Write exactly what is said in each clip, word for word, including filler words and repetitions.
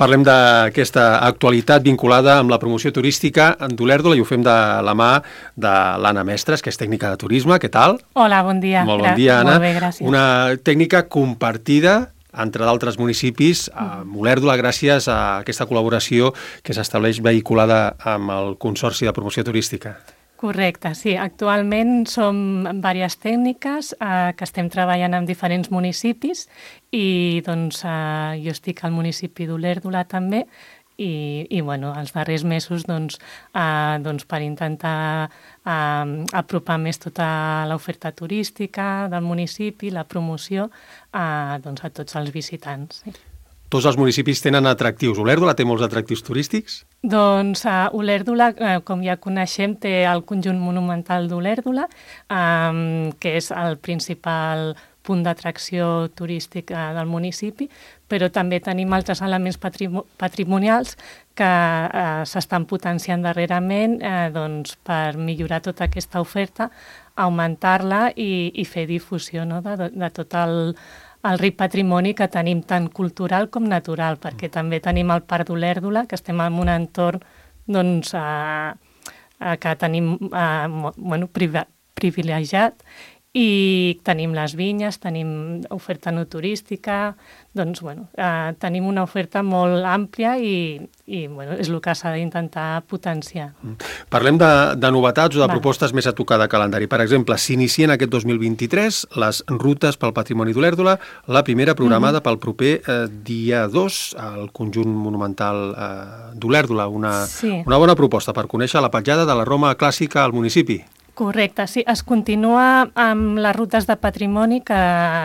Parlem d'aquesta actualitat vinculada amb la promoció turística d'Olèrdola i ho fem de la mà de l'Anna Mestres, que és tècnica de turisme. Què tal? Hola, bon dia. Molt bon dia, Anna. Molt bé, gràcies. Una tècnica compartida entre d'altres municipis amb Olèrdola gràcies a aquesta col·laboració que s'estableix vehiculada amb el Consorci de Promoció Turística. Correcte, sí. Actualment som diverses tècniques eh, que estem treballant en diferents municipis i doncs, eh, jo estic al municipi d'Olèrdola també i, i bueno, els darrers mesos doncs, eh, doncs, per intentar eh, apropar més tota l'oferta turística del municipi, la promoció eh, doncs, a tots els visitants. Sí. Tots els municipis tenen atractius. Olèrdola té molts atractius turístics? Doncs uh, Olèrdola, uh, com ja coneixem, té el conjunt monumental d'Olèrdola, um, que és el principal punt d'atracció turístic uh, del municipi, però també tenim altres elements patrim patrimonials que uh, s'estan potenciant darrerament uh, doncs, per millorar tota aquesta oferta, augmentar-la i, i fer difusió, no?, de, de tot el el ric patrimoni que tenim tant cultural com natural, perquè també tenim el Parc d'Olèrdola, que estem en un entorn doncs, eh, eh, que tenim eh, bueno, privilegiat, i tenim les vinyes, tenim oferta no turística, doncs, bueno, eh, tenim una oferta molt àmplia i, i bueno, és el que s'ha d'intentar potenciar. Parlem de, de novetats o de Va. propostes més a tocar de calendari. Per exemple, s'inicien aquest dos mil vint-i-tres les rutes pel patrimoni d'Olèrdola, la primera programada mm-hmm. pel proper eh, dia dos al conjunt monumental eh, d'Olèrdola. Una, sí. una bona proposta per conèixer la petjada de la Roma clàssica al municipi. Correcte, sí. Es continua amb les rutes de patrimoni que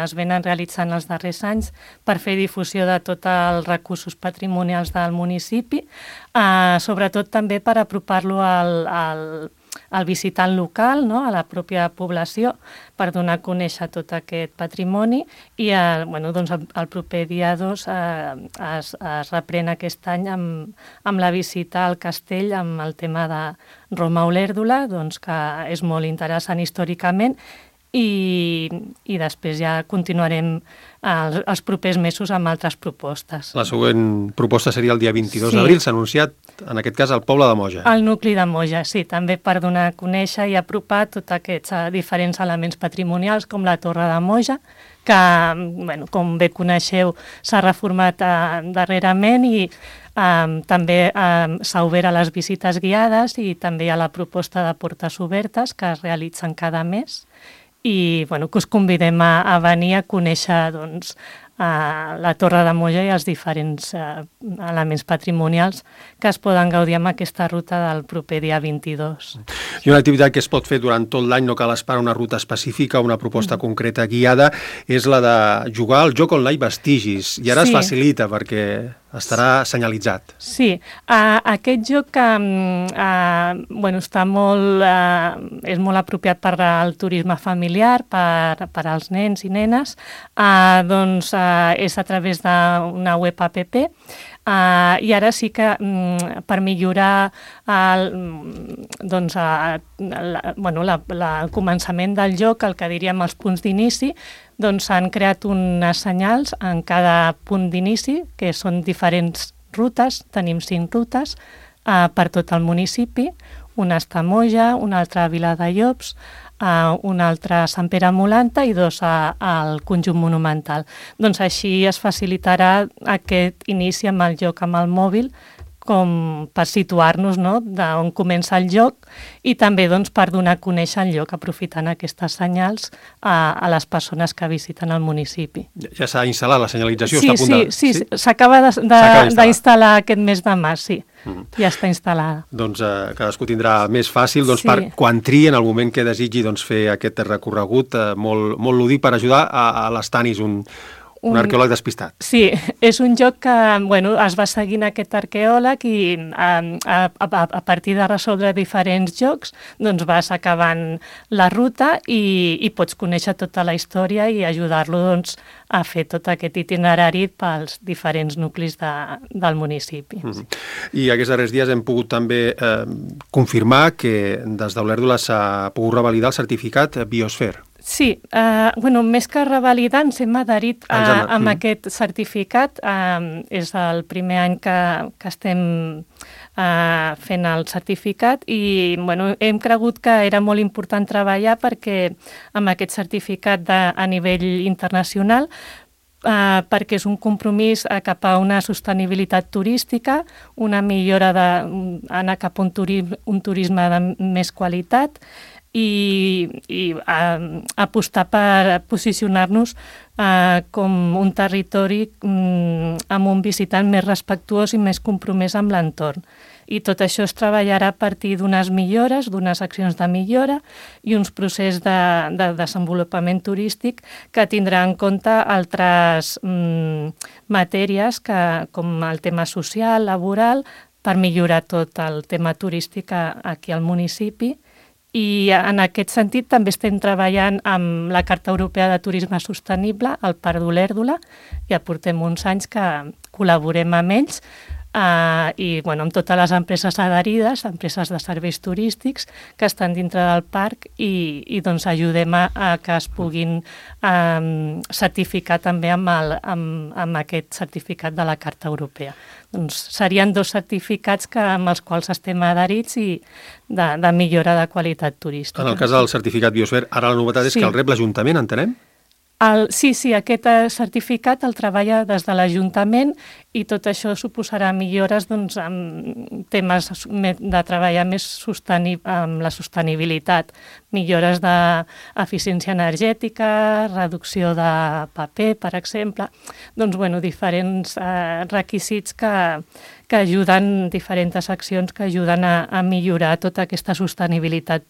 es venen realitzant els darrers anys per fer difusió de tots els recursos patrimonials del municipi, eh, sobretot també per apropar-lo al, al, al visitant local, no?, a la pròpia població, per donar a conèixer tot aquest patrimoni i el, bueno, doncs el, el proper dia dos eh, es, es reprèn aquest any amb, amb la visita al castell amb el tema de Roma Olèrdola, doncs, que és molt interessant històricament i, i després ja continuarem els, els propers mesos amb altres propostes. La següent proposta seria el dia vint-i-dos Sí. d'abril, s'ha anunciat en aquest cas al poble de Moja. El nucli de Moja, sí, també per donar a conèixer i apropar tots aquests uh, diferents elements patrimonials com la Torre de Moja, que, bueno, com bé coneixeu, s'ha reformat uh, darrerament i Um, també um, s'ha obert a les visites guiades i també hi ha la proposta de portes obertes que es realitzen cada mes i bueno, que us convidem a, a venir a conèixer doncs, uh, la Torre de Moja i els diferents uh, elements patrimonials que es poden gaudir amb aquesta ruta del proper dia vint-i-dos. I una activitat que es pot fer durant tot l'any, no cal esperar una ruta específica, una proposta mm. concreta guiada, és la de jugar al joc online Vestigis. I ara sí. es facilita perquè estarà senyalitzat. Sí, uh, aquest joc que uh, bueno, està molt, uh, és molt apropiat per al turisme familiar, per, per als nens i nenes, uh, doncs uh, és a través d'una web app, Uh, i ara sí que um, per millorar el, doncs, uh, la, bueno, la, la, el començament del joc, el que diríem els punts d'inici, doncs s'han creat unes senyals en cada punt d'inici, que són diferents rutes, tenim cinc rutes uh, per tot el municipi, una està a Moja, una altra a Vila de Llops, Uh, una altra a Sant Pere Molanta i dos a, al conjunt monumental. Doncs així es facilitarà aquest inici amb el joc amb el mòbil com per situar-nos, no?, d'on comença el joc i també doncs, per donar a conèixer el lloc aprofitant aquestes senyals a, a les persones que visiten el municipi. Ja s'ha instal·lat la senyalització? Sí, està a punt sí, de... sí, sí, s'acaba d'instal·lar aquest mes de març, sí. Mm. Ja està instal·lada. Doncs eh, cadascú tindrà més fàcil doncs, sí. per quan tria en el moment que desitgi doncs, fer aquest recorregut eh, molt, molt lúdic per ajudar a, a les Tanis, un, un, un arqueòleg despistat. Sí, és un joc que bueno, es va seguint aquest arqueòleg i a, a, a, a partir de resoldre diferents jocs doncs vas acabant la ruta i, i pots conèixer tota la història i ajudar-lo doncs, a fer tot aquest itinerari pels diferents nuclis de, del municipi. Mm-hmm. I aquests darrers dies hem pogut també eh, confirmar que des d'Olèrdola s'ha pogut revalidar el certificat Biosfer. Sí, eh, bueno, més que revalidant, s'hem adherit a, Ens hem- amb mm. aquest certificat. Eh, és el primer any que, que estem eh, fent el certificat i bueno, hem cregut que era molt important treballar perquè amb aquest certificat de, a nivell internacional Uh, perquè és un compromís uh, cap a una sostenibilitat turística, una millora de, anar cap a un, turi, un turisme de més qualitat i, i uh, apostar per posicionar-nos uh, com un territori um, amb un visitant més respectuós i més compromès amb l'entorn. I tot això es treballarà a partir d'unes millores, d'unes accions de millora i uns processos de, de desenvolupament turístic que tindrà en compte altres mm, matèries que, com el tema social, laboral, per millorar tot el tema turístic aquí al municipi. I en aquest sentit també estem treballant amb la Carta Europea de Turisme Sostenible, el Parc d'Olèrdola. Ja portem uns anys que col·laborem amb ells, Uh, i bueno, amb totes les empreses adherides, empreses de serveis turístics que estan dintre del parc i, i doncs ajudem a, a que es puguin um, certificar també amb, el, amb, amb aquest certificat de la Carta Europea. Doncs serien dos certificats que, amb els quals estem adherits i de, de millora de qualitat turística. En el cas del certificat Biosfera, ara la novetat és Sí. que el rep l'Ajuntament, entenem? El, sí, sí, aquest eh, certificat el treballa des de l'Ajuntament i tot això suposarà millores doncs, en temes de treballar més sosteni, amb la sostenibilitat, millores d'eficiència energètica, reducció de paper, per exemple, doncs, bueno, diferents eh, requisits que, que ajuden, diferents accions que ajuden a, a millorar tota aquesta sostenibilitat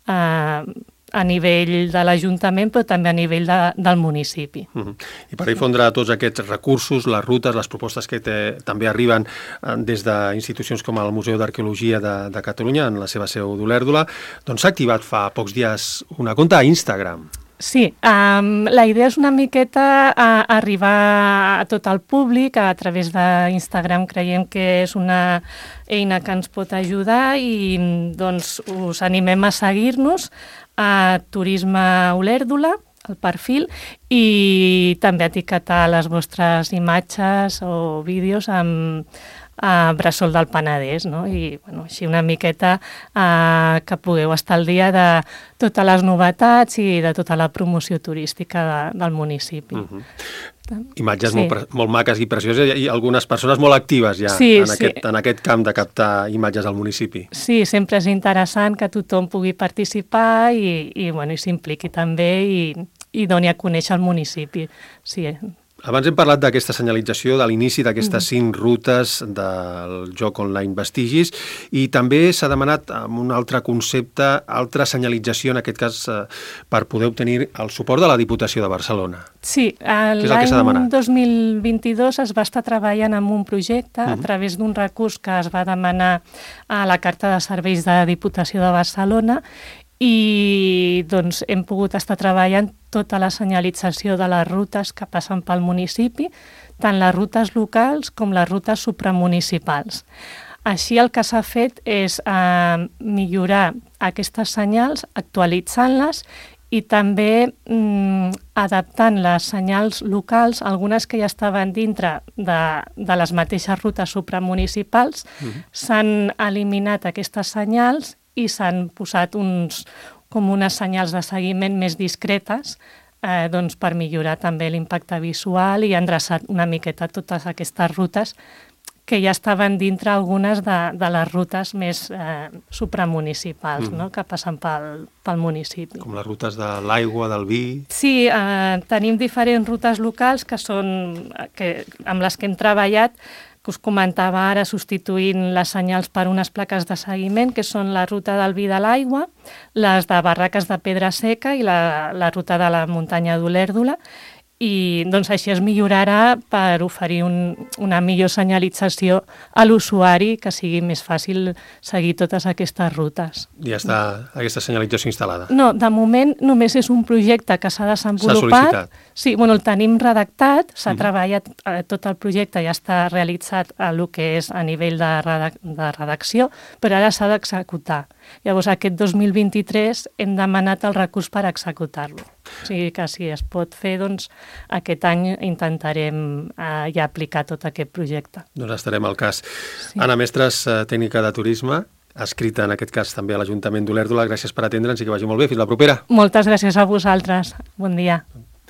eh, a nivell de l'Ajuntament, però també a nivell de, del municipi. Uh-huh. I per difondre tots aquests recursos, les rutes, les propostes que té, també arriben eh, des d'institucions com el Museu d'Arqueologia de, de Catalunya, en la seva seu d'Olèrdola, doncs s'ha activat fa pocs dies una compte a Instagram. Sí, um, la idea és una miqueta uh, arribar a tot el públic a través d'Instagram. Creiem que és una eina que ens pot ajudar i doncs us animem a seguir-nos a Turisme Olèrdola, el perfil, i també etiquetar les vostres imatges o vídeos amb a Bressol del Penedès, no? I bueno, així una miqueta eh, que pugueu estar al dia de totes les novetats i de tota la promoció turística de, del municipi. Uh-huh. Imatges Sí. molt, molt maques i precioses i algunes persones molt actives ja Sí, en, sí. aquest, en aquest camp de captar imatges al municipi. Sí, sempre és interessant que tothom pugui participar i, i, bueno, i s'impliqui també i, i doni a conèixer el municipi. Sí. Abans hem parlat d'aquesta senyalització, de l'inici d'aquestes cinc rutes del joc online Vestigis, i també s'ha demanat amb un altre concepte, altra senyalització, en aquest cas eh, per poder obtenir el suport de la Diputació de Barcelona. Sí, Què és el que s'ha l'any demanat? dos mil vint-i-dos es va estar treballant en un projecte uh -huh. a través d'un recurs que es va demanar a la Carta de Serveis de la Diputació de Barcelona i doncs, hem pogut estar treballant tota la senyalització de les rutes que passen pel municipi, tant les rutes locals com les rutes supramunicipals. Així el que s'ha fet és eh, millorar aquestes senyals, actualitzant-les i també mm, adaptant les senyals locals, algunes que ja estaven dintre de, de les mateixes rutes supramunicipals, uh-huh. s'han eliminat aquestes senyals i s'han posat uns, com unes senyals de seguiment més discretes eh, doncs per millorar també l'impacte visual i endreçar una miqueta totes aquestes rutes que ja estaven dintre algunes de, de les rutes més eh, supramunicipals, mm. no?, que passen pel, pel municipi. Com les rutes de l'aigua, del vi... Sí, eh, tenim diferents rutes locals que són, que, amb les que hem treballat, que us comentava ara, substituint les senyals per unes plaques de seguiment, que són la ruta del vi de l'aigua, les de Barraques de Pedra Seca i la, la ruta de la muntanya d'Olèrdola, i doncs així es millorarà per oferir un, una millor senyalització a l'usuari, que sigui més fàcil seguir totes aquestes rutes. Ja està aquesta senyalització instal·lada. No, de moment només és un projecte que s'ha desenvolupat. S'ha sol·licitat. Sí, bueno, el tenim redactat, s'ha Mm. treballat, eh, tot el projecte ja està realitzat a el que és a nivell de, redac de redacció, però ara s'ha d'executar. Llavors, aquest dos mil vint-i-tres hem demanat el recurs per executar-lo. O sigui que si es pot fer, doncs aquest any intentarem eh, ja aplicar tot aquest projecte. Doncs estarem al cas. Sí. Anna Mestres, tècnica de turisme, escrita en aquest cas també a l'Ajuntament d'Olèrdola. Gràcies per atendre'ns i que vagi molt bé. Fins la propera. Moltes gràcies a vosaltres. Bon dia.